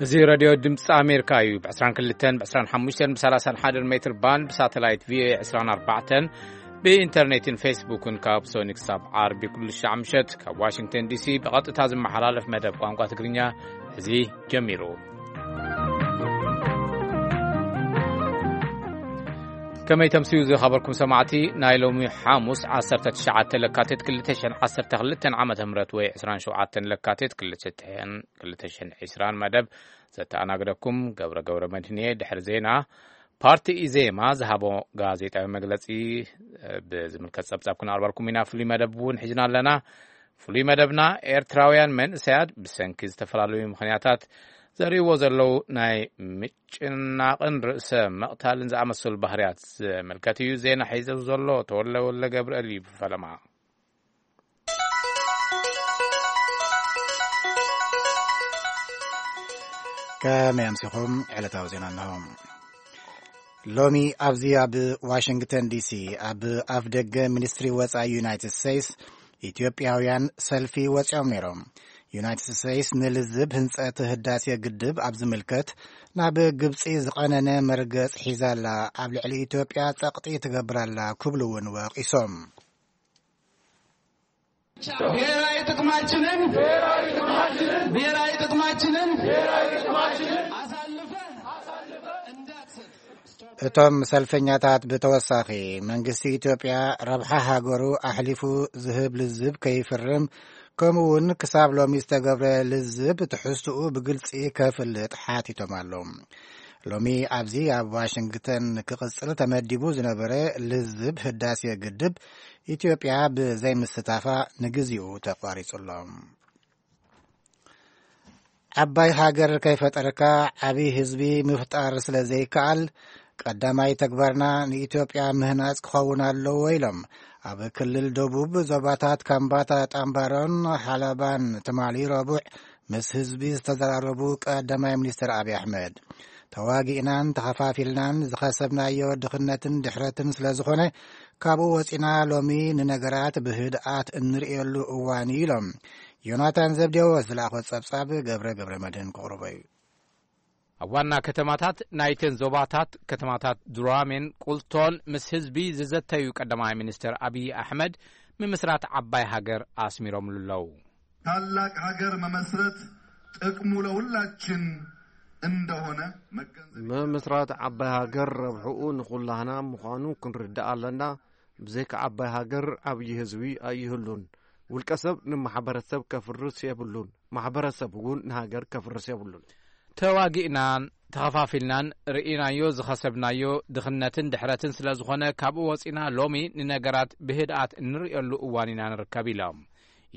እዚ ሬድዮ ድምፂ ኣሜሪካ እዩ። ብ22፣ ብ25፣ ብ31 ሜትር ባንድ፣ ብሳተላይት ቪኦኤ 24፣ ብኢንተርኔትን ፌስቡክን ካብ ሶኒ ክሳብ ዓርቢ ኩሉ ሻዕ ምሸት ካብ ዋሽንግተን ዲሲ ብቐጥታ ዝመሓላለፍ መደብ ቋንቋ ትግርኛ እዚ ጀሚሩ። ከመይ ተምስዩ ዝኸበርኩም ሰማዕቲ፣ ናይ ሎሚ ሓሙስ 19 ለካቲት 2012 ዓመተ ምህረት ወይ 27 ለካቲት 2020 መደብ ዘተኣናግደኩም ገብረ ገብረ መድህን እየ። ድሕሪ ዜና ፓርቲ ኢዜማ ዝሃቦ ጋዜጣዊ መግለጺ ብዝምልከት ጸብጻብ ክነቕርበልኩም ኢና። ፍሉይ መደብ እውን ሒዝና ኣለና። ፍሉይ መደብና ኤርትራውያን መንእሰያት ብሰንኪ ዝተፈላለዩ ምኽንያታት ዘርእይዎ ዘለዉ ናይ ምጭናቕን ርእሰ መቕታልን ዝኣመሰሉ ባህርያት ዝምልከት እዩ። ዜና ሒዘ ዘሎ ተወለ ወለ ገብርኤል እዩ ብፈለማ። ከመይ ኣምሲኹም? ዕለታዊ ዜና ኣለዎም። ሎሚ ኣብዚ ኣብ ዋሽንግተን ዲሲ ኣብ ኣፍ ደገ ሚኒስትሪ ወጻኢ ዩናይትድ ስቴትስ ኢትዮጵያውያን ሰልፊ ወጺኦም ነይሮም። ዩናይትድ ስቴትስ ንልዝብ ህንጸት ህዳሴ ግድብ ኣብ ዝምልከት ናብ ግብጺ ዝቐነነ መርገጽ ሒዛላ ኣብ ልዕሊ ኢትዮጵያ ጸቕጢ ትገብራላ ክብሉ እውን ወቒሶም። ብሔራዊ ጥቅማችንን ብሔራዊ ጥቅማችንን አሳልፈ እንዳትሰጥ። እቶም ሰልፈኛታት ብተወሳኺ መንግስቲ ኢትዮጵያ ረብሓ ሃገሩ ኣሕሊፉ ዝህብ ልዝብ ከይፍርም፣ ከምኡ እውን ክሳብ ሎሚ ዝተገብረ ልዝብ ትሕዝትኡ ብግልጺ ከፍልጥ ሓቲቶም ኣለዉ። ሎሚ ኣብዚ ኣብ ዋሽንግተን ክቕጽል ተመዲቡ ዝነበረ ልዝብ ህዳሴ ግድብ ኢትዮጵያ ብዘይምስታፋ ንግዚኡ ተቋሪጹ ኣሎ። ዓባይ ሃገር ከይፈጠርካ ዓብዪ ህዝቢ ምፍጣር ስለ ዘይከኣል፣ ቀዳማይ ተግባርና ንኢትዮጵያ ምህናጽ ክኸውን ኣለዎ ኢሎም ኣብ ክልል ደቡብ ዞባታት ካምባታ፣ ጣምባሮን ሓላባን ትማሊ ረቡዕ ምስ ህዝቢ ዝተዘራረቡ ቀዳማይ ሚኒስትር ኣብይ ኣሕመድ፣ ተዋጊእናን ተኸፋፊልናን ዝኸሰብናዮ ድኽነትን ድሕረትን ስለ ዝኾነ፣ ካብኡ ወጺና ሎሚ ንነገራት ብህድኣት እንርእየሉ እዋን እዩ ኢሎም። ዮናታን ዘብዴዎስ ዝለኣኾ ጸብጻብ ገብረ ገብረ መድህን ክቕርቦ እዩ። ኣብ ዋና ከተማታት ናይተን ዞባታት፣ ከተማታት ዱራሜን ቁልቶን ምስ ህዝቢ ዝዘተዩ ቀዳማይ ሚኒስትር ኣብይ ኣሕመድ፣ ምምስራት ዓባይ ሃገር ኣስሚሮምሉ ኣለዉ። ታላቅ ሀገር መመስረት ጥቅሙ ለሁላችን እንደሆነ መገንዘብ። ምምስራት ዓባይ ሃገር ረብሕኡ ንኹላህና ምዃኑ ክንርዳእ ኣለና። ብዘይካ ዓባይ ሃገር ዓብዪ ህዝቢ ኣይህሉን። ውልቀ ሰብ ንማሕበረሰብ ከፍርስ የብሉን። ማሕበረሰብ እውን ንሃገር ከፍርስ የብሉን። ተዋጊእናን ተኸፋፊልናን ርኢናዮ ዝኸሰብናዮ ድኽነትን ድሕረትን ስለ ዝኾነ፣ ካብኡ ወፂና ሎሚ ንነገራት ብህድኣት እንርእየሉ እዋን ኢና ንርከብ ኢሎም።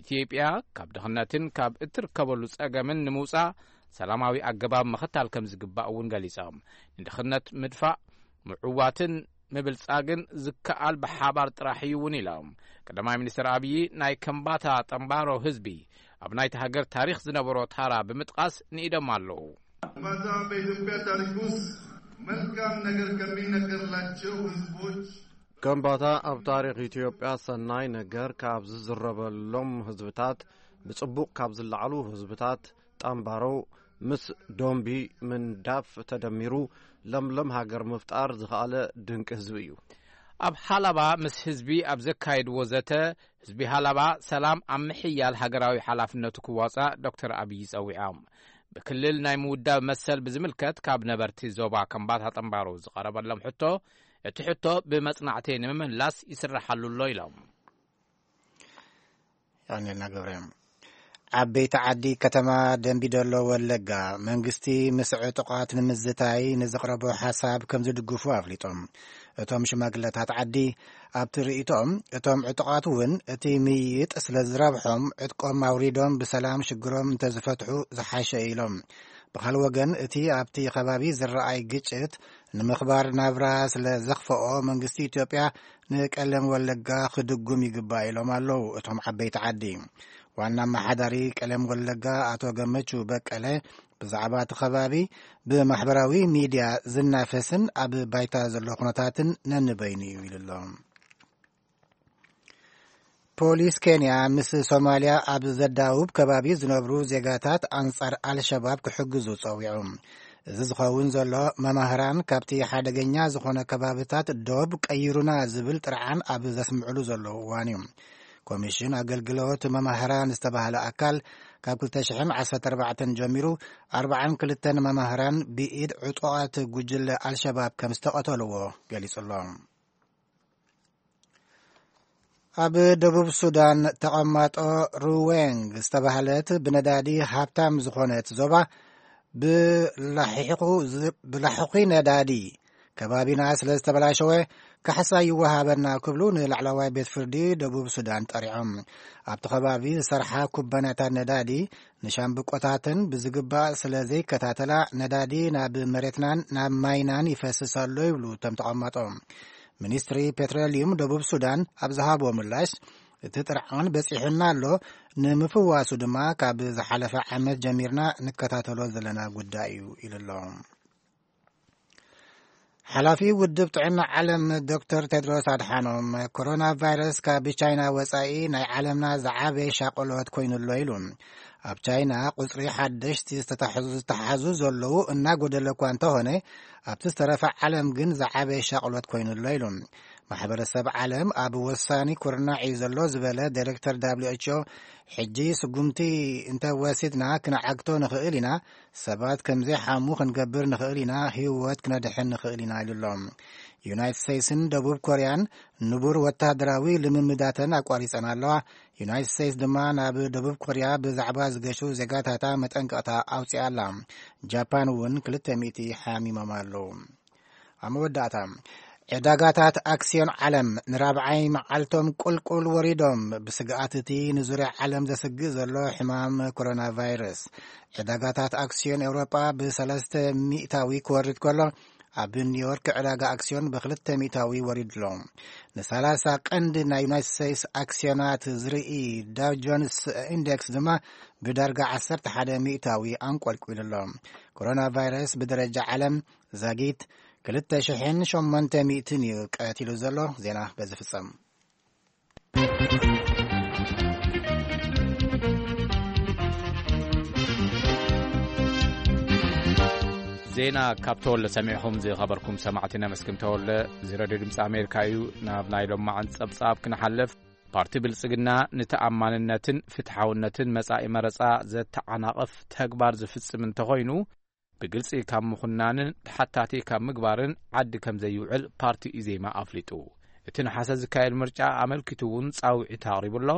ኢትዮጵያ ካብ ድኽነትን ካብ እትርከበሉ ጸገምን ንምውጻእ ሰላማዊ ኣገባብ ምኽታል ከም ዝግባእ እውን ገሊጾም። ንድኽነት ምድፋእ፣ ምዕዋትን ምብልጻግን ዝከኣል ብሓባር ጥራሕ እዩ እውን ኢሎም። ቀዳማይ ሚኒስትር ኣብዪ ናይ ከምባታ ጠምባሮ ህዝቢ ኣብ ናይቲ ሃገር ታሪኽ ዝነበሮ ታራ ብምጥቃስ ንኢዶም ኣለዉ። ከምባታ በኢትዮጵያ ታሪክ ውስጥ መልካም ነገር ከሚነገርላቸው ህዝቦች። ከምባታ ኣብ ታሪኽ ኢትዮጵያ ሰናይ ነገር ካብ ዝዝረበሎም ህዝብታት፣ ብጽቡቕ ካብ ዝለዓሉ ህዝብታት፣ ጣምባሮ ምስ ዶምቢ ምንዳፍ ተደሚሩ ለምለም ሃገር ምፍጣር ዝኸኣለ ድንቂ ህዝቢ እዩ። ኣብ ሃላባ ምስ ህዝቢ ኣብ ዘካየድዎ ዘተ፣ ህዝቢ ሃላባ ሰላም ኣብ ምሕያል ሃገራዊ ሓላፍነቱ ክዋጻእ ዶክተር ኣብይ ጸዊዖም። ብክልል ናይ ምውዳብ መሰል ብዝምልከት ካብ ነበርቲ ዞባ ከምባታ ጠምባሮ ዝቐረበሎም ሕቶ፣ እቲ ሕቶ ብመጽናዕቲ ንምምላስ ይስረሓሉ ኣሎ ኢሎም። ያኔና ገብረ። ዓበይቲ ዓዲ ከተማ ደንቢዶሎ ወለጋ፣ መንግስቲ ምስ ዕጡቓት ንምዝታይ ንዘቕረቦ ሓሳብ ከም ዝድግፉ ኣፍሊጦም። እቶም ሽማግለታት ዓዲ ኣብቲ ርእይቶኦም፣ እቶም ዕጡቓት እውን እቲ ምይይጥ ስለ ዝረብሖም ዕጥቆም ኣውሪዶም ብሰላም ሽግሮም እንተዝፈትሑ ዝሓሸ ኢሎም። ብኻልእ ወገን፣ እቲ ኣብቲ ከባቢ ዝረኣይ ግጭት ንምኽባር ናብራ ስለ ዘኽፈኦ መንግስቲ ኢትዮጵያ ንቀለም ወለጋ ክድጉም ይግባእ ኢሎም ኣለዉ እቶም ዓበይቲ ዓዲ። ዋና ኣመሓዳሪ ቀለም ወለጋ ኣቶ ገመቹ በቀለ ብዛዕባ እቲ ከባቢ ብማሕበራዊ ሚድያ ዝናፈስን ኣብ ባይታ ዘሎ ኩነታትን ነንበይኑ እዩ ኢሉ ኣሎ። ፖሊስ ኬንያ ምስ ሶማልያ ኣብ ዘዳውብ ከባቢ ዝነብሩ ዜጋታት ኣንጻር ኣልሸባብ ክሕግዙ ጸዊዑ። እዚ ዝኸውን ዘሎ መማህራን ካብቲ ሓደገኛ ዝኾነ ከባብታት ዶብ ቀይሩና ዝብል ጥርዓን ኣብ ዘስምዕሉ ዘለዉ እዋን እዩ። ኮሚሽን ኣገልግሎት መማህራን ዝተባህለ ኣካል ካብ ክልተ ሽሕን ዓሰርተ ኣርባዕተን ጀሚሩ ኣርባዓን ክልተን መማህራን ብኢድ ዕጡቓት ጉጅለ ኣልሸባብ ከም ዝተቐተልዎ ገሊጹ ኣሎ። ኣብ ደቡብ ሱዳን ተቐማጦ ሩዌንግ ዝተባህለት ብነዳዲ ሃብታም ዝኾነት ዞባ ብላሒኹ ዝ-፣ ብላሕኹ ነዳዲ ከባቢና ስለ ዝተበላሸወ ካሕሳ ይወሃበና ክብሉ ንላዕለዋይ ቤት ፍርዲ ደቡብ ሱዳን ጠሪዖም። ኣብቲ ከባቢ ዝሰርሓ ኩባንያታት ነዳዲ ንሻምብቆታተን ብዝግባእ ስለ ዘይከታተላ ነዳዲ ናብ መሬትናን ናብ ማይናን ይፈስስ ኣሎ ይብሉ እቶም ተቐማጦ። ሚኒስትሪ ፔትሮሊዩም ደቡብ ሱዳን ኣብ ዝሃቦ ምላሽ፣ እቲ ጥርዓን በጺሑና ኣሎ፣ ንምፍዋሱ ድማ ካብ ዝሓለፈ ዓመት ጀሚርና ንከታተሎ ዘለና ጉዳይ እዩ ኢሉ ኣሎ። ሓላፊ ውድብ ጥዕና ዓለም ዶክተር ቴድሮስ ኣድሓኖም፣ ኮሮና ቫይረስ ካብ ቻይና ወጻኢ ናይ ዓለምና ዝዓበየ ሻቕሎት ኮይኑ ኣሎ ኢሉ። ኣብ ቻይና ቁጽሪ ሓደሽቲ ዝተታሕዙ፣ ዝተሓዙ ዘለዉ እናጎደለ እኳ እንተኾነ፣ ኣብቲ ዝተረፈ ዓለም ግን ዝዓበየ ሻቕሎት ኮይኑ ኣሎ ኢሉ። ማሕበረሰብ ዓለም ኣብ ወሳኒ ኩርናዕ እዩ ዘሎ ዝበለ ዳይሬክተር ደብሊው ኤች ኦ፣ ሕጂ ስጉምቲ እንተወሲድና ክንዓግቶ ንኽእል ኢና፣ ሰባት ከም ዘይሓሙ ክንገብር ንኽእል ኢና፣ ህይወት ክነድሕን ንኽእል ኢና ኢሉ ኣሎ። ዩናይትድ ስቴትስን ደቡብ ኮርያን ንቡር ወታደራዊ ልምምዳተን ኣቋሪጸን ኣለዋ። ዩናይትድ ስቴትስ ድማ ናብ ደቡብ ኮርያ ብዛዕባ ዝገሹ ዜጋታታ መጠንቀቕታ ኣውጺኣ ኣላ። ጃፓን እውን ክልተ ሚእቲ ሓሚሞም ኣለዉ። ኣብ መወዳእታ፣ ዕዳጋታት ኣክስዮን ዓለም ንራብዓይ መዓልቶም ቁልቁል ወሪዶም፣ ብስግኣት እቲ ንዙርያ ዓለም ዘስግእ ዘሎ ሕማም ኮሮና ቫይረስ። ዕዳጋታት ኣክስዮን ኤውሮጳ ብሰለስተ ሚእታዊ ክወርድ ከሎ፣ ኣብ ኒውዮርክ ዕዳጋ ኣክስዮን ብክልተ ሚእታዊ ወሪዱ ኣሎ። ንሰላሳ ቀንዲ ናይ ዩናይትድ ስቴትስ ኣክስዮናት ዝርኢ ዳው ጆንስ ኢንዴክስ ድማ ብዳርጋ ዓሰርተ ሓደ ሚእታዊ ኣንቆልቂሉ ኣሎ። ኮሮና ቫይረስ ብደረጃ ዓለም ዛጊት ክልተ ሽሕን ሸሞንተ ሚእትን እዩ ቀቲሉ ዘሎ። ዜና በዚ ፍጸም። ዜና ካብ ተወልደ ሰሚዕኹም ዝኸበርኩም ሰማዕቲ ነመስግን። ተወልደ፣ እዚ ሬድዮ ድምፂ ኣሜሪካ እዩ። ናብ ናይ ሎማዓንቲ ጸብጻብ ክንሓልፍ፣ ፓርቲ ብልጽግና ንተኣማንነትን ፍትሓውነትን መጻኢ መረጻ ዘተዓናቕፍ ተግባር ዝፍጽም እንተኾይኑ፣ ብግልጺ ካብ ምኹናንን ተሓታቲ ካብ ምግባርን ዓዲ ከም ዘይውዕል ፓርቲ ኢዜማ ኣፍሊጡ። እቲ ነሓሰ ዝካየድ ምርጫ ኣመልኪቱ እውን ጻውዒት ኣቕሪቡ ኣሎ።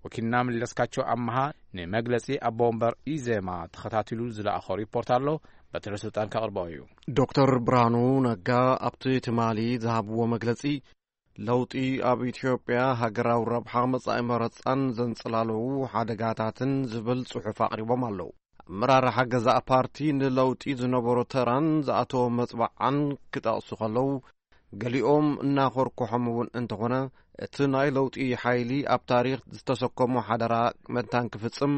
ወኪልና መለስካቸው ኣመሃ ንመግለጺ ኣቦ ወንበር ኢዜማ ተኸታቲሉ ዝለኣኾ ሪፖርት ኣሎ። በትረ ስልጣን ከቕርቦ እዩ። ዶክተር ብርሃኑ ነጋ ኣብቲ ትማሊ ዝሃብዎ መግለጺ፣ ለውጢ ኣብ ኢትዮጵያ ሃገራዊ ረብሓ መጻኢ መረጻን ዘንጸላለዉ ሓደጋታትን ዝብል ጽሑፍ ኣቕሪቦም ኣለዉ። ኣመራርሓ ገዛእ ፓርቲ ንለውጢ ዝነበሮ ተራን ዝኣተዎ መጽባዓን ክጠቕሱ ከለዉ፣ ገሊኦም እናኾርኮሖም እውን እንተኾነ፣ እቲ ናይ ለውጢ ሓይሊ ኣብ ታሪኽ ዝተሰከሞ ሓደራ መታን ክፍጽም፣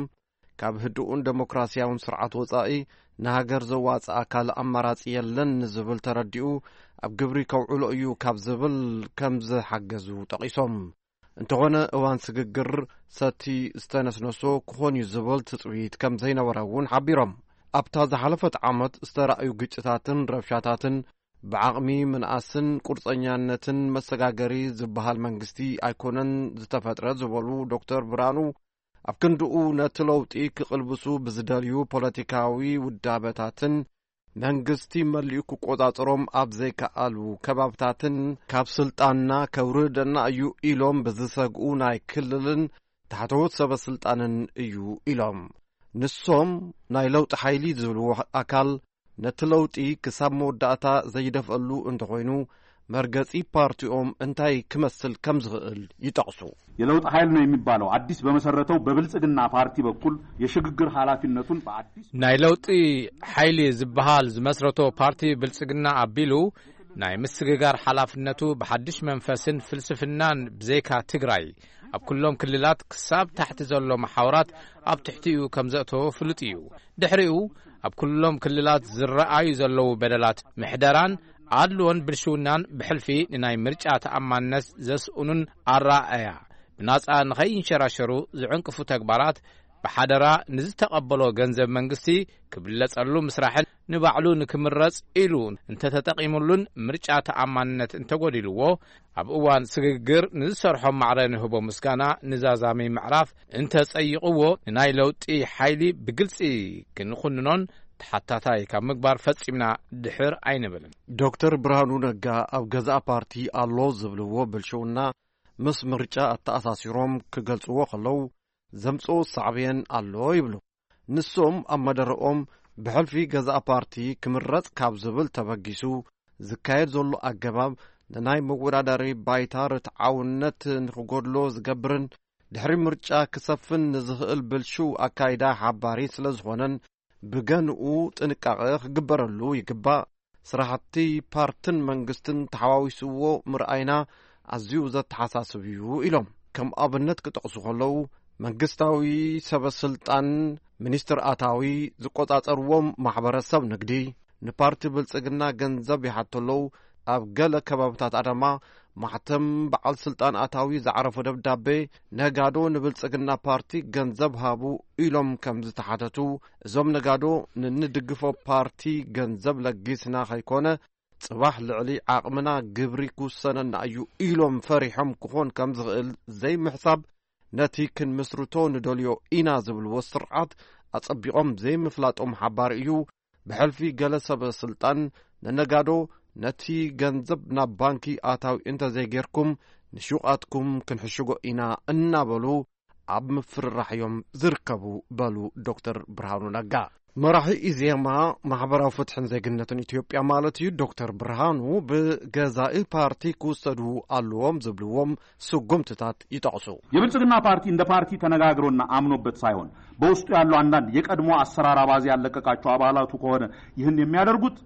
ካብ ህዱእን ደሞክራስያውን ስርዓት ወጻኢ ንሃገር ዘዋጽኣ ካልእ ኣማራጺ የለን ንዝብል ተረዲኡ፣ ኣብ ግብሪ ከውዕሎ እዩ ካብ ዝብል ከም ዝሓገዙ ጠቒሶም። እንተኾነ፣ እዋን ስግግር ሰቲ ዝተነስነሶ ክኾን እዩ ዝብል ትጽቢት ከም ዘይነበረ እውን ሓቢሮም። ኣብታ ዝሓለፈት ዓመት ዝተራእዩ ግጭታትን ረብሻታትን ብዓቕሚ ምንኣስን ቁርጸኛነትን መሰጋገሪ ዝበሃል መንግስቲ ኣይኮነን ዝተፈጥረ ዝበሉ ዶክተር ብርሃኑ፣ ኣብ ክንድኡ ነቲ ለውጢ ክቕልብሱ ብዝደልዩ ፖለቲካዊ ውዳበታትን መንግስቲ መሊኡ ክቆጻጸሮም ኣብ ዘይከኣሉ ከባብታትን ካብ ስልጣንና ከውርደና እዩ ኢሎም ብዝሰግኡ ናይ ክልልን ታሕተዎት ሰበ ስልጣንን እዩ ኢሎም። ንሶም ናይ ለውጢ ሓይሊ ዝብልዎ ኣካል ነቲ ለውጢ ክሳብ መወዳእታ ዘይደፍአሉ እንተኾይኑ፣ መርገጺ ፓርቲኦም እንታይ ክመስል ከም ዝኽእል ይጠቕሱ። የለውጥ ኃይል ነው የሚባለው አዲስ በመሰረተው በብልጽግና ፓርቲ በኩል የሽግግር ኃላፊነቱን በአዲስ ናይ ለውጢ ሓይሊ ዝበሃል ዝመስረቶ ፓርቲ ብልጽግና ኣቢሉ ናይ ምስግጋር ሓላፍነቱ ብሓድሽ መንፈስን ፍልስፍናን ብዘይካ ትግራይ ኣብ ኩሎም ክልላት ክሳብ ታሕቲ ዘሎ መሓውራት ኣብ ትሕቲኡ ከም ዘእተዎ ፍሉጥ እዩ። ድሕሪኡ ኣብ ኩሎም ክልላት ዝረኣዩ ዘለዉ በደላት ምሕደራን ኣድልዎን ብልሽውናን ብሕልፊ ንናይ ምርጫ ተኣማንነት ዘስእኑን ኣረኣእያ ብናጻ ንኸይንሸራሸሩ ዝዕንቅፉ ተግባራት፣ ብሓደራ ንዝተቐበሎ ገንዘብ መንግስቲ ክብለጸሉ ምስራሕን ንባዕሉ ንክምረጽ ኢሉ እንተተጠቒሙሉን ምርጫ ተኣማንነት እንተጎዲልዎ፣ ኣብ እዋን ስግግር ንዝሰርሖም ማዕረ ንህቦ ምስጋና ንዛዛሚ ምዕራፍ እንተጸይቕዎ፣ ንናይ ለውጢ ሓይሊ ብግልጺ ክንኹንኖን ተሓታታይ ካብ ምግባር ፈጺምና ድሕር ኣይንብልን። ዶክተር ብርሃኑ ነጋ ኣብ ገዛእ ፓርቲ ኣሎ ዝብልዎ ብልሽውና ምስ ምርጫ ኣተኣሳሲሮም ክገልጽዎ ከለዉ፣ ዘምጽኦ ሳዕቤን ኣሎ ይብሉ። ንሶም ኣብ መደረኦም፣ ብሕልፊ ገዛእ ፓርቲ ክምረጽ ካብ ዝብል ተበጊሱ፣ ዝካየድ ዘሎ ኣገባብ ንናይ መወዳደሪ ባይታ ርትዓውነት ንኽጎድሎ ዝገብርን ድሕሪ ምርጫ ክሰፍን ንዝኽእል ብልሽው ኣካይዳ ሓባሪ ስለ ዝኾነን፣ ብገንኡ ጥንቃቐ ክግበረሉ ይግባእ። ስራሕቲ ፓርትን መንግስትን ተሓዋዊስዎ ምርኣይና ኣዝዩ ዘተሓሳስብ እዩ ኢሎም። ከም ኣብነት ክጠቕሱ ከለዉ፣ መንግስታዊ ሰበ ስልጣን፣ ሚኒስትር ኣታዊ፣ ዝቆጻጸርዎም ማሕበረሰብ ንግዲ ንፓርቲ ብልጽግና ገንዘብ ይሓቱ ኣለዉ። ኣብ ገለ ከባብታት ኣዳማ ማሕተም በዓል ስልጣን ኣታዊ ዝዓረፎ ደብዳቤ፣ ነጋዶ ንብልጽግና ፓርቲ ገንዘብ ሃቡ ኢሎም ከም ዝተሓተቱ፣ እዞም ነጋዶ ንንድግፎ ፓርቲ ገንዘብ ለጊስና ከይኮነ፣ ጽባሕ ልዕሊ ዓቕምና ግብሪ ክውሰነና እዩ ኢሎም ፈሪሖም ክኾን ከም ዝኽእል ዘይምሕሳብ፣ ነቲ ክንምስርቶ ንደልዮ ኢና ዝብልዎ ስርዓት ኣጸቢቖም ዘይምፍላጦም ሓባሪ እዩ። ብሕልፊ ገለ ሰበ ስልጣን ንነጋዶ ነቲ ገንዘብ ናብ ባንኪ ኣታዊ እንተዘይጌርኩም ንሹቓትኩም ክንሕሽጎ ኢና እናበሉ ኣብ ምፍርራሕ እዮም ዝርከቡ በሉ ዶክተር ብርሃኑ ነጋ። መራሒ ኢዜማ ማሕበራዊ ፍትሕን ዜግነትን ኢትዮጵያ ማለት እዩ ዶክተር ብርሃኑ ብገዛኢ ፓርቲ ክውሰዱ ኣለዎም ዝብልዎም ስጉምትታት ይጠቕሱ። የብልጽግና ፓርቲ እንደ ፓርቲ ተነጋግሮና አምኖበት ሳይሆን በውስጡ ያሉ አንዳንድ የቀድሞ አሰራር አባዜ ያለቀቃቸው አባላቱ ከሆነ ይህን የሚያደርጉት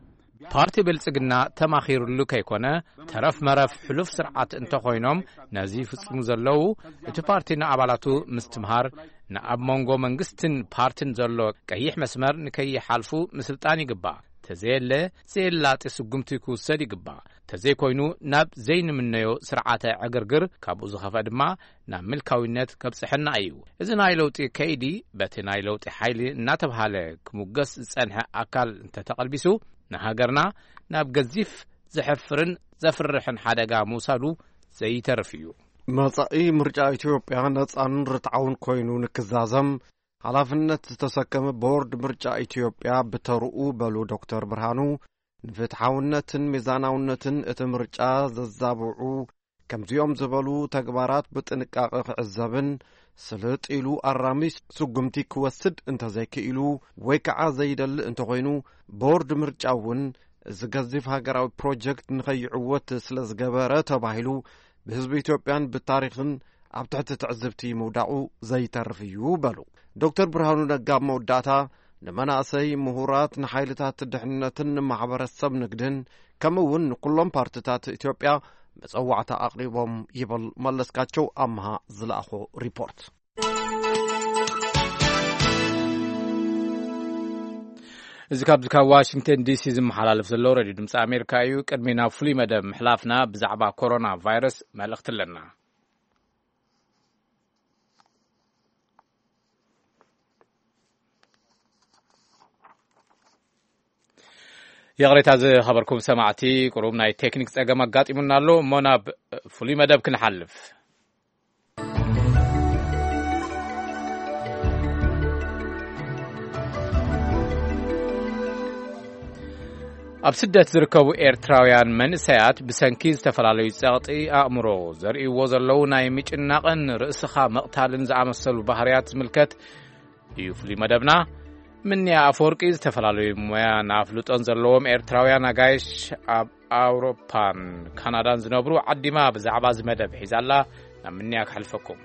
ፓርቲ ብልጽግና ተማኺሩሉ ከይኮነ፣ ተረፍ መረፍ ሕሉፍ ስርዓት እንተኾይኖም ነዚ ይፍጽሙ ዘለዉ፣ እቲ ፓርቲ ንኣባላቱ ምስትምሃር፣ ንኣብ መንጎ መንግስትን ፓርትን ዘሎ ቀይሕ መስመር ንከይሓልፉ ምስልጣን ይግባእ። ተዘየለ፣ ዘየላጢ ስጉምቲ ክውሰድ ይግባእ። ተዘይኮይኑ፣ ናብ ዘይንምነዮ ስርዓተ ዕግርግር፣ ካብኡ ዝኸፍአ ድማ ናብ ምልካዊነት ከብጽሐና እዩ። እዚ ናይ ለውጢ ከይዲ በቲ ናይ ለውጢ ሓይሊ እናተብሃለ ክሙገስ ዝጸንሐ ኣካል እንተተቐልቢሱ፣ ንሃገርና ናብ ገዚፍ ዘሕፍርን ዘፍርሕን ሓደጋ ምውሳዱ ዘይተርፍ እዩ። መጻኢ ምርጫ ኢትዮጵያ ነጻን ርትዓውን ኮይኑ ንክዛዘም ሓላፍነት ዝተሰከመ ቦርድ ምርጫ ኢትዮጵያ ብተርኡ በሉ ዶክተር ብርሃኑ፣ ንፍትሓውነትን ሚዛናውነትን እቲ ምርጫ ዘዛብዑ ከምዚኦም ዝበሉ ተግባራት ብጥንቃቐ ክዕዘብን ስልጥ ኢሉ ኣራሚ ስጉምቲ ክወስድ እንተዘይክኢሉ ወይ ከዓ ዘይደሊ እንተኾይኑ፣ ቦርድ ምርጫ እውን እዚ ገዚፍ ሃገራዊ ፕሮጀክት ንኸይዕወት ስለ ዝገበረ ተባሂሉ ብህዝቢ ኢትዮጵያን ብታሪኽን ኣብ ትሕቲ ትዕዝብቲ ምውዳቑ ዘይተርፍ እዩ በሉ። ዶክተር ብርሃኑ ነጋ ኣብ መወዳእታ ንመናእሰይ፣ ምሁራት፣ ንሓይልታት ድሕነትን ንማሕበረሰብ ንግድን ከምኡ እውን ንኩሎም ፓርትታት ኢትዮጵያ መጸዋዕታ ኣቕሪቦም ይብል መለስካቸው ኣምሃ ዝለኣኾ ሪፖርት። እዚ ካብዚ ካብ ዋሽንግተን ዲሲ ዝመሓላለፍ ዘሎ ሬድዮ ድምፂ ኣሜሪካ እዩ። ቅድሚ ናብ ፍሉይ መደብ ምሕላፍና ብዛዕባ ኮሮና ቫይረስ መልእኽቲ ኣለና። ይቕሬታ ዝኸበርኩም ሰማዕቲ፣ ቁሩብ ናይ ቴክኒክ ጸገም ኣጋጢሙና ኣሎ እሞ ናብ ፍሉይ መደብ ክንሓልፍ። ኣብ ስደት ዝርከቡ ኤርትራውያን መንእሰያት ብሰንኪ ዝተፈላለዩ ጸቕጢ ኣእምሮ ዘርእይዎ ዘለዉ ናይ ምጭናቕን ርእስኻ ምቕታልን ዝኣመሰሉ ባህርያት ዝምልከት እዩ ፍሉይ መደብና። ምንያ ኣፈወርቂ ዝተፈላለዩ ሞያን ኣፍልጦን ዘለዎም ኤርትራውያን ኣጋይሽ ኣብ ኣውሮፓን ካናዳን ዝነብሩ ዓዲማ ብዛዕባ እዚ መደብ ሒዛላ። ናብ ምንያ ክሕልፈኩም።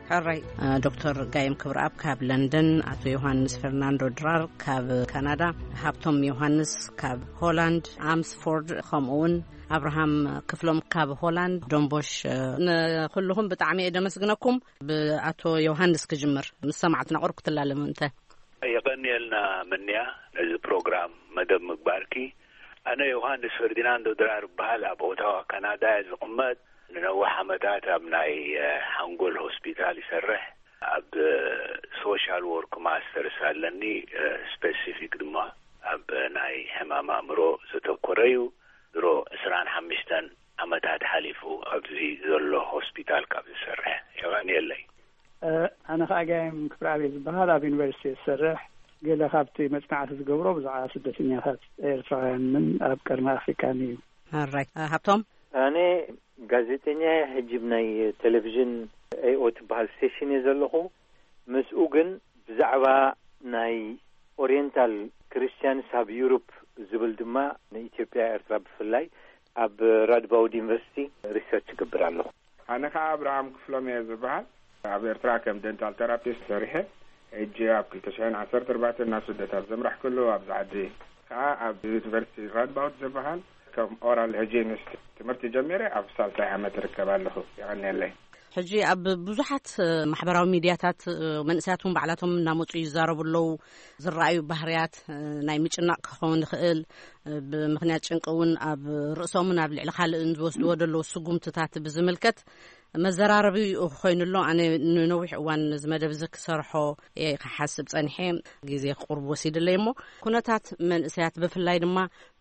ሕራይ፣ ዶክተር ጋይም ክብረኣብ ካብ ለንደን፣ ኣቶ ዮሃንስ ፈርናንዶ ድራር ካብ ካናዳ፣ ሃብቶም ዮሃንስ ካብ ሆላንድ ኣምስፎርድ፣ ከምኡ እውን ኣብርሃም ክፍሎም ካብ ሆላንድ ዶንቦሽ፣ ንኩልኹም ብጣዕሚ እየ ደመስግነኩም። ብኣቶ ዮሃንስ ክጅምር፣ ምስ ሰማዕትና ቁሩብ ክትላለሙ እንተ። የቐንየልና ምንያ፣ ነዚ ፕሮግራም መደብ ምግባርኪ። ኣነ ዮሃንስ ፈርዲናንዶ ድራር እበሃል። ኣብ ኦታዋ ካናዳ እየ ዝቕመጥ። ንነዊሕ ዓመታት ኣብ ናይ ሓንጎል ሆስፒታል ይሰርሕ። ኣብ ሶሻል ወርክ ማስተርስ ኣለኒ። ስፔሲፊክ ድማ ኣብ ናይ ሕማም ኣእምሮ ዘተኮረ እዩ። ድሮ ዕስራን ሓሙሽተን ዓመታት ሓሊፉ ኣብዚ ዘሎ ሆስፒታል ካብ ዝሰርሕ። የቐንየለይ። ኣነ ከዓ ጋይም ክብረኣብ ዝበሃል፣ ኣብ ዩኒቨርሲቲ ዝሰርሕ። ገለ ካብቲ መፅናዕቲ ዝገብሮ ብዛዕባ ስደተኛታት ኤርትራውያንን ኣብ ቀርኒ ኣፍሪካን እዩ። ኣራይ። ሃብቶም? ኣነ ጋዜጠኛ እየ። ሕጂ ናይ ቴሌቪዥን ኤኦ ትበሃል ስቴሽን እየ ዘለኹ። ምስኡ ግን ብዛዕባ ናይ ኦሪየንታል ክርስቲያንስ ኣብ ዩሮፕ ዝብል ድማ ንኢትዮጵያ ኤርትራ ብፍላይ ኣብ ራድባውድ ዩኒቨርሲቲ ሪሰርች ይገብር ኣለኹ። ኣነ ከዓ ኣብርሃም ክፍሎም እየ ዝበሃል። ኣብ ኤርትራ ከም ደንታል ተራፒስት ሰሪሐ፣ ሕጂ ኣብ ክልተ ሽሕን ዓሰርተ ኣርባዕተን ናብ ስደት ኣብ ዘምራሕ ከሎ ኣብዚ ዓዲ ከዓ ኣብ ዩኒቨርሲቲ ራድባውድ ዝበሃል ከም ኦራል ሃይጂኒስት ትምህርቲ ጀሚረ ኣብ ሳልሳይ ዓመት እርከብ ኣለኹ። የቐንየለይ። ሕጂ ኣብ ብዙሓት ማሕበራዊ ሚድያታት መንእሰያት እውን ባዕላቶም እናመፁ ይዛረቡ ኣለዉ። ዝረኣዩ ባህርያት ናይ ምጭናቕ ክኸውን ይኽእል፣ ብምኽንያት ጭንቂ እውን ኣብ ርእሶምን ኣብ ልዕሊ ካልእን ዝወስድዎ ዘለዉ ስጉምትታት ብዝምልከት መዘራረቢ ኮይኑ ኣሎ። ኣነ ንነዊሕ እዋን ነዚ መደብ እዚ ክሰርሖ እየ ክሓስብ ጸኒሐ፣ ግዜ ክቁርብ ወሲድለይ እሞ፣ ኩነታት መንእሰያት ብፍላይ ድማ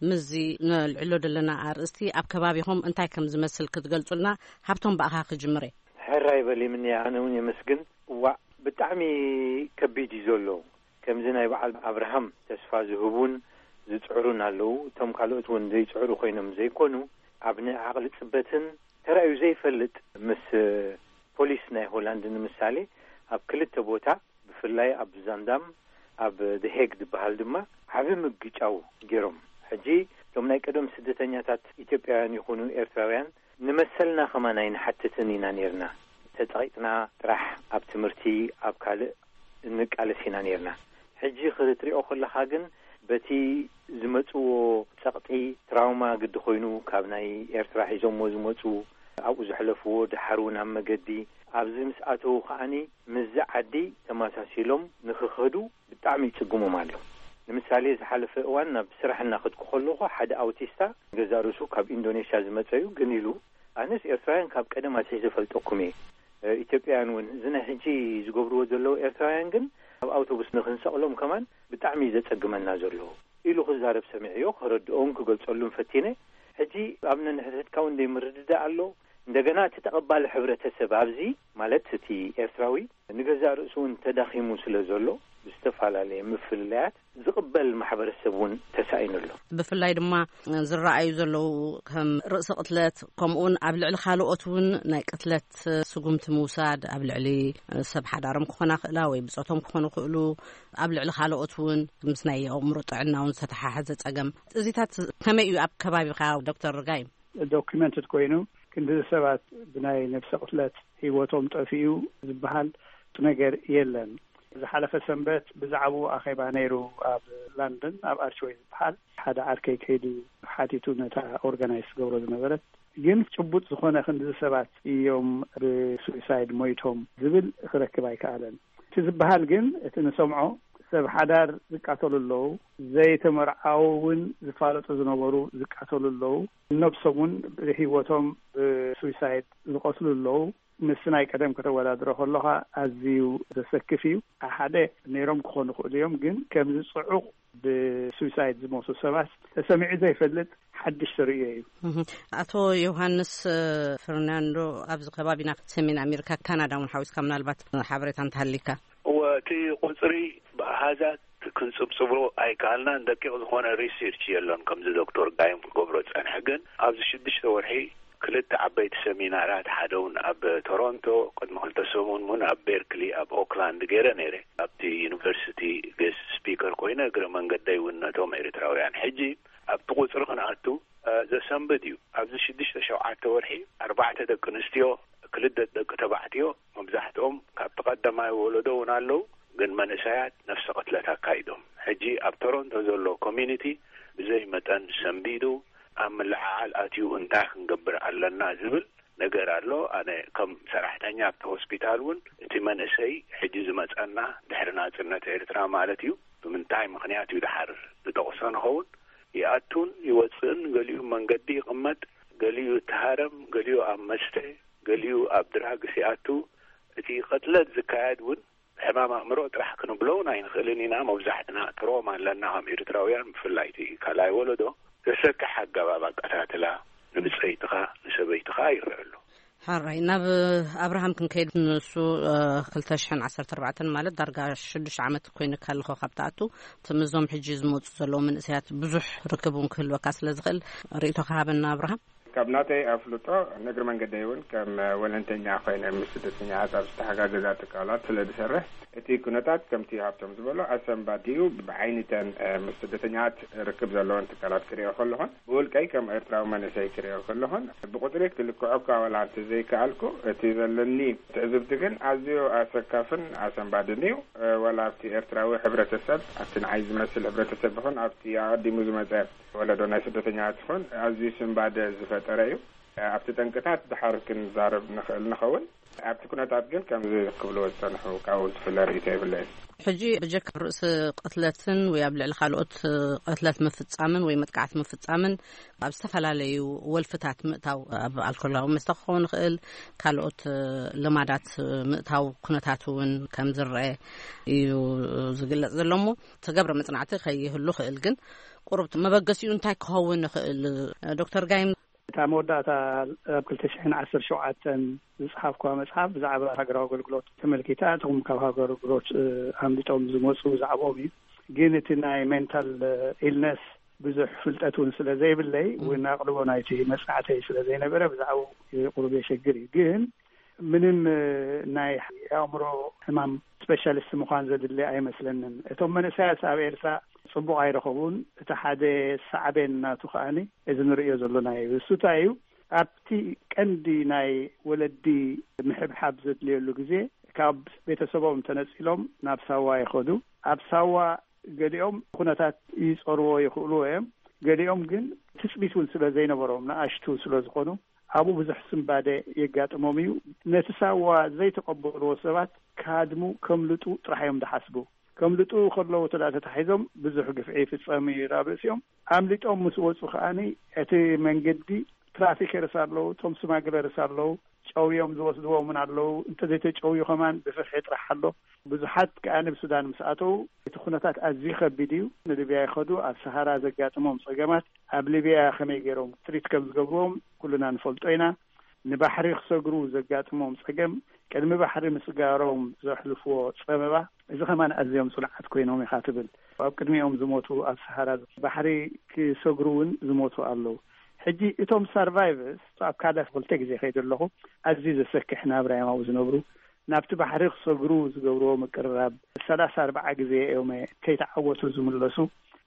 ምስዚ ነልዕሎ ዘለና ኣርእስቲ ኣብ ከባቢኹም እንታይ ከም ዝመስል ክትገልጹልና፣ ሃብቶም፣ ብኣኻ ክጅምር እየ። ሕራይ በሊ ምንያ፣ ኣነ እውን የመስግን። እዋእ፣ ብጣዕሚ ከቢድ እዩ ዘሎ። ከምዚ ናይ በዓል ኣብርሃም ተስፋ ዝህቡን ዝጽዕሩን ኣለዉ። እቶም ካልኦት እውን ዘይጽዕሩ ኮይኖም ዘይኮኑ፣ ኣብ ናይ ዓቕሊ ጽበትን ተራእዩ ዘይፈልጥ ምስ ፖሊስ ናይ ሆላንድ ንምሳሌ ኣብ ክልተ ቦታ፣ ብፍላይ ኣብ ዛንዳም፣ ኣብ ደሄግ ዝበሃል ድማ ዓቢ ምግጫው ገይሮም። ሕጂ እቶም ናይ ቀደም ስደተኛታት ኢትዮጵያውያን ይኹኑ ኤርትራውያን ንመሰልና ከማን ኣይንሓትትን ኢና ነይርና። ተጸቒጥና ጥራሕ ኣብ ትምህርቲ፣ ኣብ ካልእ እንቃለስ ኢና ነይርና። ሕጂ ክትሪኦ ከለኻ ግን በቲ ዝመጽዎ ጸቕጢ፣ ትራውማ ግዲ ኮይኑ ካብ ናይ ኤርትራ ሒዞሞ ዝመጹ፣ ኣብኡ ዘሕለፍዎ፣ ድሓር እውን ኣብ መገዲ ኣብዚ ምስ ኣተዉ ከኣኒ ምስዚ ዓዲ ተመሳሲሎም ንኽኸዱ ብጣዕሚ ይጽግሞም ኣሎ። ንምሳሌ ዝሓለፈ እዋን ናብ ስራሕ እናኸድኩ ከለኹ ሓደ ኣውቲስታ ገዛ ርእሱ ካብ ኢንዶኔሽያ ዝመጸ እዩ፣ ግን ኢሉ ኣነስ ኤርትራውያን ካብ ቀደም ኣትሒዘ ፈልጠኩም እየ። እ፣ ኢትዮጵያውያን እውን እዚ ናይ ሕጂ ዝገብርዎ ዘለዉ ኤርትራውያን ግን ኣብ ኣውቶቡስ ንኽንሰቕሎም ከማን ብጣዕሚ እዩ ዘጸግመና ዘሎ ኢሉ ክዛረብ ሰሚዐዮ። ከረድኦን ክገልጸሉን ፈቲነ። ሕጂ ኣብ ነንሕድሕድካ እውን ዘይምርድዳእ ኣሎ። እንደገና እቲ ተቐባሊ ሕብረተሰብ ኣብዚ ማለት እቲ ኤርትራዊ ንገዛእ ርእሱ እውን ተዳኺሙ ስለ ዘሎ ብዝተፈላለየ ምፍልላያት ዝቕበል ማሕበረሰብ እውን ተሳኢኑ ኣሎ። ብፍላይ ድማ ዝረኣዩ ዘለዉ ከም ርእሰ ቅትለት፣ ከምኡውን ኣብ ልዕሊ ካልኦት እውን ናይ ቅትለት ስጉምቲ ምውሳድ፣ ኣብ ልዕሊ ሰብ ሓዳሮም ክኾና ክእላ ወይ ብጾቶም ክኾኑ ክእሉ፣ ኣብ ልዕሊ ካልኦት እውን ምስ ናይ ኣእምሮ ጥዕና እውን ዝተተሓሓዘ ጸገም። እዚታት ከመይ እዩ ኣብ ከባቢኻ ዶክተር ርጋይ? ዶኪመንትድ ኮይኑ ክንዲ ሰባት ብናይ ነብሰ ቅትለት ህይወቶም ጠፊኡ ዝበሃል ነገር የለን። ዝሓለፈ ሰንበት ብዛዕባኡ ኣኼባ ነይሩ ኣብ ላንደን፣ ኣብ ኣርችወይ ዝበሃል ሓደ ዓርከይ ከይዱ ሓቲቱ ነታ ኦርጋናይዝ ትገብሮ ዝነበረት። ግን ጭቡጥ ዝኾነ ክንዲ ሰባት እዮም ብሱሳይድ ሞይቶም ዝብል ክረክብ ኣይከኣለን። እቲ ዝበሃል ግን እቲ ንሰምዖ ሰብ ሓዳር ዝቃተሉ ኣለዉ፣ ዘይተመርዓዉ እውን ዝፋለጡ ዝነበሩ ዝቃተሉ ኣለዉ፣ ነብሶም እውን ብህይወቶም ብሱሳይድ ዝቐትሉ ኣለዉ። ምስ ናይ ቀደም ከተወዳድሮ ከለኻ ኣዝዩ ዘሰክፍ እዩ። ሓደ ነይሮም ክኾኑ ይኽእሉ እዮም፣ ግን ከምዚ ጽዑቕ ብሱሳይድ ዝሞቱ ሰባት ተሰሚዑ ዘይፈልጥ ሓድሽ ተርእዮ እዩ። እህ፣ ኣቶ ዮሃንስ፣ እ፣ ፈርናንዶ፣ ኣብዚ ከባቢና ሰሜን ኣሜሪካ፣ ካናዳ እውን ሓዊስካ ምናልባት ሓበሬታ እንተሃሊካ። እወ፣ እቲ ቁጽሪ ብኣሃዛት ክንጽብጽቦ ኣይከኣልናን። ደቂቕ ዝኾነ ሪሰርች የሎን፣ ከምዚ ዶክተር ጋይም ክገብሮ ጸንሐ። ግን ኣብዚ ሽዱሽተ ወርሒ ክልተ ዓበይቲ ሰሚናራት፣ ሓደ እውን ኣብ ቶሮንቶ፣ ቅድሚ ክልተ ሰሙን እውን ኣብ ቤርክሊ ኣብ ኦክላንድ ገይረ ነይረ። ኣብቲ ዩኒቨርሲቲ ጌስት ስፒከር ኮይነ፣ እግረ መንገደይ እውን ነቶም ኤርትራውያን። ሕጂ ኣብቲ ቁጽሪ ክንኣቱ፣ እ፣ ዘሰንብድ እዩ። ኣብዚ ሽዱሽተ ሸውዓተ ወርሒ ኣርባዕተ ደቂ ኣንስትዮ፣ ክልተ ደቂ ተባዕትዮ፣ መብዛሕትኦም ካብቲ ቀዳማይ ወለዶ እውን ኣለዉ፣ ግን መንእሰያት ነፍሰ ቅትለት ኣካይዶም። ሕጂ ኣብ ቶሮንቶ ዘሎ ኮሚኒቲ ብዘይ መጠን ሰንቢዱ፣ ኣብ ምልዕዓል ኣትዩ፣ እንታይ ክንገብር ኣለና ዝብል ነገር ኣሎ። ኣነ ከም ሰራሕተኛ ኣብቲ ሆስፒታል እውን፣ እቲ መንእሰይ ሕጂ ዝመጸና ድሕሪ ናጽነት ኤርትራ ማለት እዩ፣ ብምንታይ ምኽንያት እዩ ድሓር ዝጠቕሶ ንኸውን፣ ይኣቱን ይወፅእን፣ ገሊኡ መንገዲ ይቕመጥ፣ ገሊኡ ይተሃረም፣ ገሊኡ ኣብ መስተ፣ ገሊኡ ኣብ ድራግስ ይኣቱ። እቲ ቅትለት ዝካየድ እውን ሕማም ኣእምሮ ጥራሕ ክንብሎ እውን ኣይንኽእልን ኢና። መብዛሕትና ትሮማ ኣለና ከም ኤርትራውያን፣ ብፍላይ እቲ ካልኣይ ወለዶ። ዘሰክሕ ኣገባብ ኣቀታትላ ንብፀይትኻ ንሰበይትኻ ይረአ ኣሎ። ሓራይ ናብ ኣብርሃም ክንከይድ፣ ንሱ ክልተ ሽሕን ዓሰርተ ኣርባዕተን ማለት ዳርጋ ሽዱሽተ ዓመት ኮይንካ ኣለኹ ካብ ትኣቱ። እቲ ምስዞም ሕጂ ዝመፁ ዘለዉ መንእሰያት ብዙሕ ርክብ እውን ክህልወካ ስለ ዝኽእል ርእይቶ ክሃበና ኣብርሃም። ካብ ናተይ ኣፍልጦ፣ ንእግሪ መንገደይ እውን ከም ወለንተኛ ኮይነ ምስ ስደተኛታት ኣብ ዝተሓጋገዛ ትካላት ስለ ዝሰርሕ፣ እቲ ኩነታት ከምቲ ሃብቶም ዝበሎ ኣሰንባዲዩ። ብዓይኒተን ምስ ስደተኛታት ርክብ ዘለዎን ትካላት ክሪኦ ከለኹን፣ ብውልቀይ ከም ኤርትራዊ መንእሰይ ክሪኦ ከለኹን፣ ብቁፅሪ ክልክዖ እኳ ዋላ እንተዘይከኣልኩ፣ እቲ ዘለኒ ትዕዝብቲ ግን ኣዝዩ ኣሰካፍን ኣሰንባድን እዩ። ወላ ኣብቲ ኤርትራዊ ሕብረተሰብ፣ ኣብቲ ንዓይ ዝመስል ሕብረተሰብ ይኹን ኣብቲ ኣቐዲሙ ዝመጸ ወለዶ ናይ ስደተኛታት ይኹን ኣዝዩ ስንባደ ዝፈጠረ እዩ። ኣብቲ ጠንቅታት ድሓር ክንዛረብ ንኽእል ንኸውን። ኣብቲ ኩነታት ግን ከምዚ ክብልዎ ዝጸንሑ ካብኡ ዝፍለ ርእይቶ የብለይን። ሕጂ ብጀካ ርእሲ ቅትለትን ወይ ኣብ ልዕሊ ካልኦት ቅትለት ምፍጻምን ወይ መጥቃዕቲ ምፍጻምን ኣብ ዝተፈላለዩ ወልፍታት ምእታው፣ ኣብ ኣልኮላዊ መስተ ክኸውን ይኽእል፣ ካልኦት ልማዳት ምእታው ኩነታት እውን ከም ዝረአ እዩ ዝግለጽ ዘሎ እሞ፣ ተገብረ መጽናዕቲ ከይህሉ ክእል፣ ግን ቁሩብ መበገሲኡ እንታይ ክኸውን ይኽእል? ዶክተር ጋይም። እታ መወዳእታ ኣብ ክልተ ሽሕን ዓሰርተ ሸውዓተን ዝጸሓፍኩዋ መጽሓፍ ብዛዕባ ሃገራዊ ኣገልግሎት ተመልኪታ፣ እቶም ካብ ሃገራዊ ኣገልግሎት ኣምሊጦም ዝመጹ ብዛዕባኦም እዩ። ግን እቲ ናይ ሜንታል ኢልነስ ብዙሕ ፍልጠት እውን ስለ ዘይብለይ፣ እውን ኣቕልቦ ናይቲ መጽናዕተይ ስለ ዘይነበረ፣ ብዛዕባኡ ቁሩብ የሸግር እዩ። ግን ምንም ናይ ኣእምሮ ሕማም ስፔሻሊስት ምዃን ዘድሊ ኣይመስለንን። እቶም መንእሰያት ኣብ ኤርትራ ጽቡቕ ኣይረኸቡን። እቲ ሓደ ሳዕቤን ናቱ ከኣኒ እዚ ንርእዮ ዘለና እዩ። እሱ እንታይ እዩ? ኣብቲ ቀንዲ ናይ ወለዲ ምሕብሓብ ዘድልየሉ ግዜ፣ ካብ ቤተሰቦም ተነጺሎም ናብ ሳዋ ይኸዱ። ኣብ ሳዋ ገሊኦም ኩነታት ይጸርዎ ይኽእሉ እዮም። ገሊኦም ግን ትጽቢት እውን ስለ ዘይነበሮም፣ ንኣሽቱ ስለ ዝኾኑ፣ ኣብኡ ብዙሕ ስንባደ የጋጥሞም እዩ። ነቲ ሳዋ ዘይተቐበልዎ ሰባት ክሃድሙ፣ ከምልጡ ጥራሕ እዮም ዝሓስቡ። ከምልጡ ከለዉ ተዳ ተታሒዞም ብዙሕ ግፍዒ ይፍጸም እዩ ኣብ ርእሲኦም። ኣምሊጦም ምስ ወጹ ከኣኒ፣ እቲ መንገዲ ትራፊከርስ ኣለዉ፣ እቶም ስማግለርስ ኣለዉ፣ ጨውዮም ዝወስድዎም እውን ኣለዉ። እንተዘይተጨውዩ ከማን ብፍርሒ ጥራሕ ኣሎ። ብዙሓት ከኣ ንብ ሱዳን ምስ ኣተዉ፣ እቲ ኩነታት ኣዝዩ ከቢድ እዩ። ንሊብያ ይኸዱ፣ ኣብ ሰሃራ ዘጋጥሞም ጸገማት፣ ኣብ ሊብያ ከመይ ገይሮም ትሪት ከም ዝገብርዎም ኩልና ንፈልጦ ኢና። ንባሕሪ ክሰግሩ ዘጋጥሞም ጸገም፣ ቅድሚ ባሕሪ ምስጋሮም ዘሕልፍዎ ጸበባ፣ እዚ ከማን ኣዝዮም ጽኑዓት ኮይኖም ኢኻ ትብል። ኣብ ቅድሚኦም ዝሞቱ፣ ኣብ ሰሃራ ባሕሪ ክሰግሩ እውን ዝሞቱ ኣለዉ። ሕጂ እቶም ሰርቫይቨርስ፣ ኣብ ካዳፊ ክልተ ግዜ ከይደ ኣለኹ፣ ኣዝዩ ዘሰክሕ ናብራ እዮም ኣብኡ ዝነብሩ። ናብቲ ባሕሪ ክሰግሩ ዝገብርዎ ምቅርራብ፣ ሰላሳ ኣርባዓ ግዜ እዮም ከይተዓወቱ ዝምለሱ።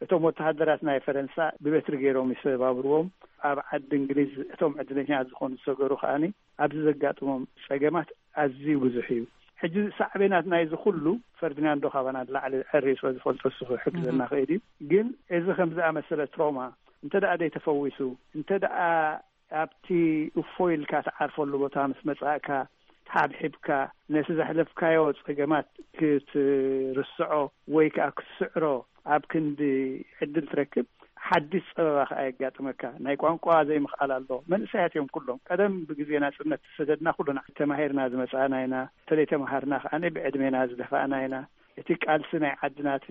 እቶም ወተሃደራት ናይ ፈረንሳ ብበትሪ ገይሮም ይሰባብርዎም። ኣብ ዓዲ እንግሊዝ እቶም ዕድለኛታት ዝኾኑ ዝሰገሩ ከኣኒ ኣብዚ ዘጋጥሞም ጸገማት ኣዝዩ ብዙሕ እዩ። ሕጂ ሳዕቤናት ናይዚ ኩሉ ፈርዲናንዶ ካባና ንላዕሊ ዕርዩ ስለ ዝፈልጦ እሱ ክሕግዘና ክእል እዩ። ግን እዚ ከም ዝኣመሰለ ትሮማ እንተ ደኣ ዘይተፈዊሱ፣ እንተ ደኣ ኣብቲ እፎይ ኢልካ ትዓርፈሉ ቦታ ምስ መጻእካ፣ ተሓብሒብካ፣ ነቲ ዘሕለፍካዮ ጸገማት ክትርስዖ ወይ ከኣ ክትስዕሮ ኣብ ክንዲ ዕድል ትረክብ፣ ሓድሽ ጸበባ ከኣ የጋጥመካ። ናይ ቋንቋ ዘይምኽኣል ኣሎ። መንእሰያት እዮም ኩሎም። ቀደም ብግዜ ናጽነት ዝሰደድና ኩልና ተማሂርና ዝመጻእና ኢና። እንተዘይተማሃርና ከኣ ብዕድሜና ዝደፋእና ኢና። እቲ ቃልሲ ናይ ዓድና፣ እቲ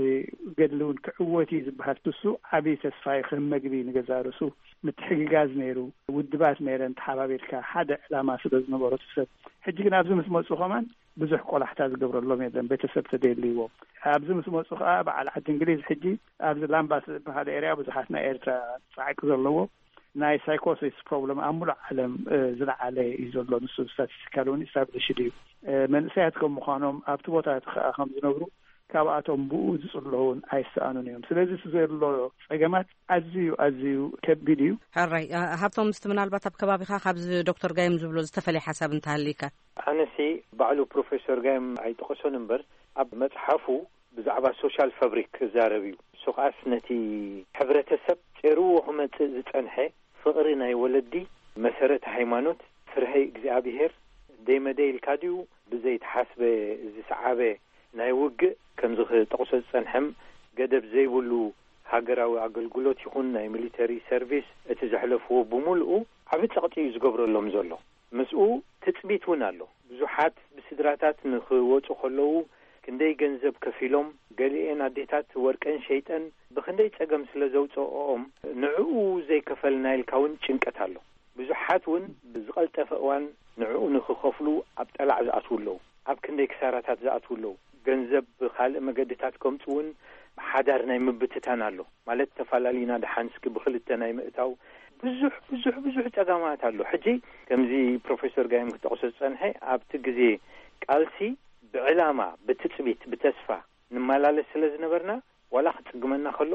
ገድሊ እውን ክዕወት እዩ ዝበሃል ትሱ ዓብዪ ተስፋ እዩ። ከም መግቢ ንገዛእ ርእሱ ምትሕግጋዝ ነይሩ። ውድባት ነይረን ተሓባቢርካ ሓደ ዕላማ ስለ ዝነበሮ እቲ ሰብ። ሕጂ ግን ኣብዚ ምስ መጹ ከማን ብዙሕ ቆላሕታ ዝገብረሎም የለን። ቤተሰብ ተደልይዎም። ኣብዚ ምስ መጹ ከኣ በዓል ዓዲ እንግሊዝ ሕጂ ኣብዚ ላምባስ ዝበሃል ኤርያ ብዙሓት ናይ ኤርትራ ጻዕቂ ዘለዎ ናይ ሳይኮሲስ ፕሮብለም ኣብ ሙሉእ ዓለም፣ እ፣ ዝለዓለ እዩ ዘሎ። ንሱ ስታቲስቲካል እውን ኢስታብሊሽድ እዩ። እ፣ መንእሰያት ከም ምዃኖም ኣብቲ ቦታ እቲ ከኣ ከም ዝነብሩ ካብኣቶም ብኡ ዝጽለዉን ኣይሰኣኑን እዮም። ስለዚ እቲ ዘሎ ጸገማት ኣዝዩ፣ ኣዝዩ ከቢድ እዩ። ሕራይ፣ እ፣ ሃብቶም፣ ምስቲ ምናልባት ኣብ ከባቢኻ ካብዚ ዶክተር ጋይም ዝብሎ ዝተፈለየ ሓሳብ እንተሃልይካ? ኣነሲ ባዕሉ ፕሮፌሰር ጋይም ኣይጠቐሶን እምበር፣ ኣብ መጽሓፉ ብዛዕባ ሶሻል ፋብሪክ ክዛረብ እዩ። እሱ ከኣስ ነቲ ሕብረተሰብ ጨርዎ ክመጽእ ዝጸንሐ ፍቕሪ ናይ ወለዲ፣ መሰረት ሃይማኖት፣ ፍርሀ እግዚኣብሄር፣ ደይመደይ ኢልካ ድዩ ብዘይተሓስበ ዝሰዓበ ናይ ውግእ፣ ከምዚ ክጠቕሶ ዝጸንሐም ገደብ ዘይብሉ ሃገራዊ ኣገልግሎት ይኹን ናይ ሚሊተሪ ሰርቪስ፣ እቲ ዘሕለፍዎ ብምልኡ ዓቢ ጸቕጢ እዩ ዝገብረሎም ዘሎ። ምስኡ ትጽቢት እውን ኣሎ። ብዙሓት ብስድራታት ንኽወጹ ከለዉ ክንደይ ገንዘብ ከፊሎም፣ ገሊኤን ኣዴታት ወርቀን ሸይጠን ብኽንደይ ጸገም ስለ ዘውጽኦኦም፣ ንዕኡ ዘይከፈልና ኢልካ እውን ጭንቀት ኣሎ። ብዙሓት እውን ብዝቐልጠፈ እዋን ንዕኡ ንኽኸፍሉ ኣብ ጠላዕ ዝኣትዉ ኣለዉ። ኣብ ክንደይ ክሳራታት ዝኣትዉ ኣለዉ። ገንዘብ ብኻልእ መገድታት ከምጽኡ እውን ሓዳር ናይ ምብትታን ኣሎ። ማለት፣ ተፈላለዩና ደሓን እስኪ ብኽልተ ናይ ምእታው ብዙሕ፣ ብዙሕ፣ ብዙሕ ጸገማት ኣሎ። ሕጂ ከምዚ ፕሮፌሰር ጋይም ክጠቕሶ ዝጸንሐ፣ ኣብቲ ግዜ ቃልሲ ብዕላማ፣ ብትጽቢት፣ ብተስፋ ንመላለስ ስለ ዝነበርና፣ ዋላ ክጽግመና ከሎ፣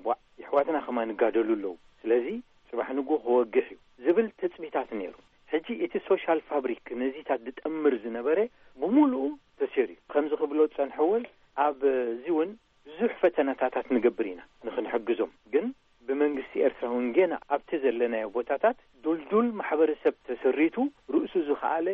ቧዕ፣ የሕዋትና ከማን ይጋደሉ ኣለዉ። ስለዚ ጽባሕ ንግሆ ክወግሕ እዩ ዝብል ትጽቢታት ነይሩ። ሕጂ እቲ ሶሻል ፋብሪክ ነዚታት ዝጠምር ዝነበረ ብምሉኡ ተሰይሩ እዩ። ከምዚ ክብሎ ዝጸንሐ እውን፣ ኣብ እዚ እውን ብዙሕ ፈተነታታት ንገብር ኢና ንኽንሕግዞም። ግን ብመንግስቲ ኤርትራ እውን ጌና ኣብቲ ዘለናዮ ቦታታት ዱልዱል ማሕበረሰብ ተሰሪቱ፣ ርእሱ ዝኸኣለ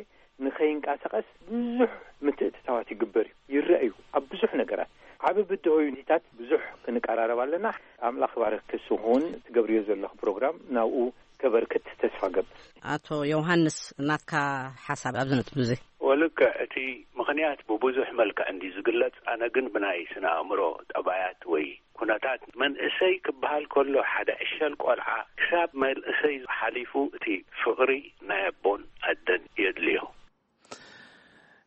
ንኸይንቀሳቐስ ብዙሕ ምትእትታዋት ይግበር እዩ፣ ይረአ እዩ። ኣብ ብዙሕ ነገራት ዓቢ ብድሆ ዩኒታት ብዙሕ ክንቀራረብ ኣለና። ኣምላኽ ባርክ ክስኹን ትገብርዮ ዘለኹ ፕሮግራም ናብኡ ከበርክት ተስፋ ገብር። ኣቶ ዮሃንስ፣ ናትካ ሓሳብ ኣብዚ ነጥቢ እዚ? ወልክዕ፣ እቲ ምኽንያት ብብዙሕ መልክዕ እንዲ ዝግለጽ፣ ኣነ ግን ብናይ ስነ ኣእምሮ ጠባያት ወይ ኩነታት መንእሰይ ክበሃል ከሎ፣ ሓደ ዕሸል ቆልዓ ክሳብ መንእሰይ ሓሊፉ እቲ ፍቕሪ ናይ ኣቦን ኣደን የድልዮ።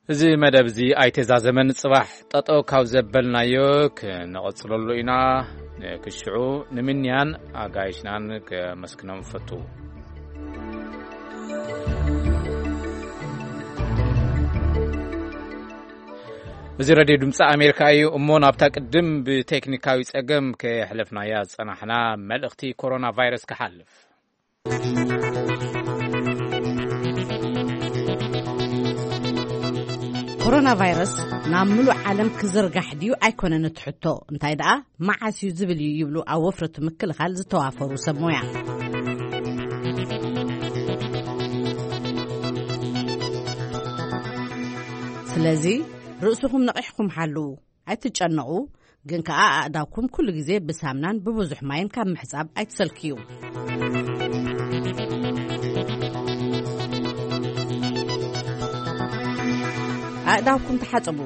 እዚ መደብ እዚ ኣይተዛዘመን። ጽባሕ ጠጠው ካብ ዘበልናዮ ክንቐጽለሉ ኢና። ንክሽዑ ንምንያን ኣጋይሽናን ከመስግኖም ፈቱ። እዚ ሬድዮ ድምፂ ኣሜሪካ እዩ። እሞ ናብታ ቅድም ብቴክኒካዊ ጸገም ከየሕለፍናያ ዝጸናሕና፣ መልእኽቲ ኮሮና ቫይረስ ክሓልፍ። ኮሮና ቫይረስ ናብ ምሉእ ዓለም ክዝርጋሕ ድዩ ኣይኮነን እቲ ሕቶ፣ እንታይ ደኣ መዓስ እዩ ዝብል እዩ ይብሉ ኣብ ወፍሪ ምክልኻል ዝተዋፈሩ ሰብ ሞያ። ስለዚ ርእስኹም ነቒሕኩም ሓልዉ። ኣይትጨነቑ፣ ግን ከኣ ኣእዳውኩም ኩሉ ግዜ ብሳምናን ብብዙሕ ማይን ካብ ምሕጻብ ኣይትሰልክዩ። ኣእዳውኩም ተሓጽቡ።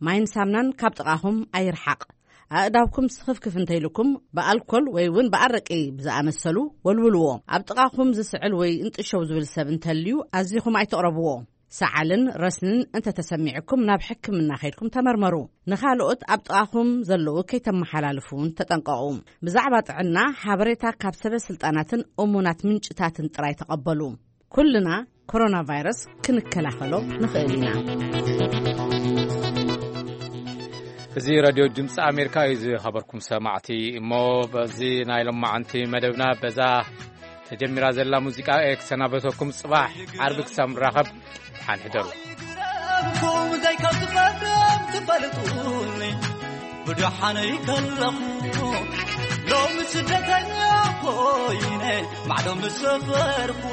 ማይን ሳምናን ካብ ጥቓኹም ኣይርሓቕ። ኣእዳውኩም ስኽፍክፍ እንተይልኩም ብኣልኮል ወይ እውን ብኣረቂ ብዝኣመሰሉ ወልውልዎ። ኣብ ጥቓኹም ዝስዕል ወይ እንጥሸው ዝብል ሰብ እንተልዩ ኣዚኹም ኣይትቕረብዎ። ሰዓልን ረስንን እንተተሰሚዕኩም ናብ ሕክምና ከይድኩም ተመርመሩ። ንኻልኦት ኣብ ጥቓኹም ዘለዉ ከይተመሓላልፉ እውን ተጠንቀቑ። ብዛዕባ ጥዕና ሓበሬታ ካብ ሰበ ስልጣናትን እሙናት ምንጭታትን ጥራይ ተቐበሉ። ኩልና ኮሮና ቫይረስ ክንከላኸሎ ንኽእል ኢና። እዚ ራድዮ ድምፂ ኣሜሪካ እዩ። ዝኸበርኩም ሰማዕቲ፣ እሞ በዚ ናይ ሎማዓንቲ መደብና በዛ ተጀሚራ ዘላ ሙዚቃ እየ ክሰናበተኩም። ጽባሕ ዓርቢ ክሳብ ንራኸብ፣ ደሓን ሕደሩ። ኩም ዘይከዝበትም ትፈልጡኒ፣ ብደሓነይ ከለኹ ሎሚ ስደተኛ ኮይነ ማዕዶ ምስ ሰፈርኩ፣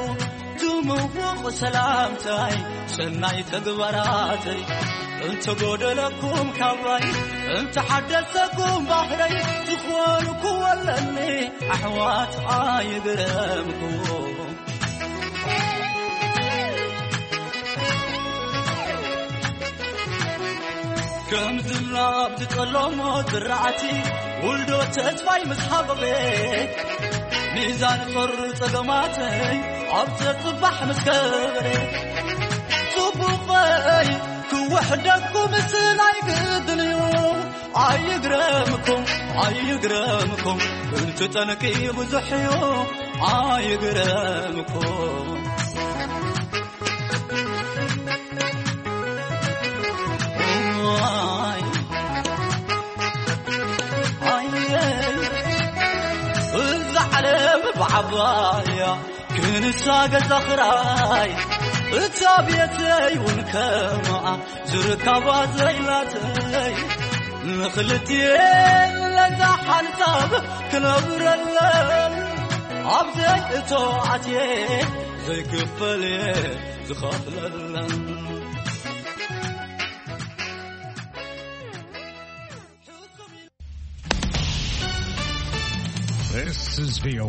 ትምውቕ ሰላምታይ ሰናይ ተግባራተይ እንተጎደለኩም ካባይ፣ እንተሓደሰኩም ባህረይ ትኾንኩ ኣለኒ ኣሕዋት ኣይግረምኩም። ከምዝላ ኣብቲ ጸለሞ ዝረኣቲ ውልዶ ተስፋይ ምስ ሃበበ፣ ሚዛን ጾር ጸገማተይ ኣብ ዘጽባሕ ምስ ከበረ፣ ጽቡቐይ ክውሕደኩም ስለ ኣይግድን እዩ። ኣይግረምኩም፣ ኣይግረምኩም፣ እቲ ጠንቂ ብዙሕ እዩ። ኣይግረምኩም። ኣይ፣ ኣየ፣ እዛ ዓለም ብዓባያ ክንሳ ገዛ ኽራይ፣ እታ ቤተይ እውን ከምኣ ዝርካባ ዘይላተይ፣ ንኽልቲኤን ለዛ ሓንሳብ ክነብረለን፣ ኣብ ዘይእቶ ኣትየ ዘይክፈል እየ ዝኸፍለለን። This is V O A.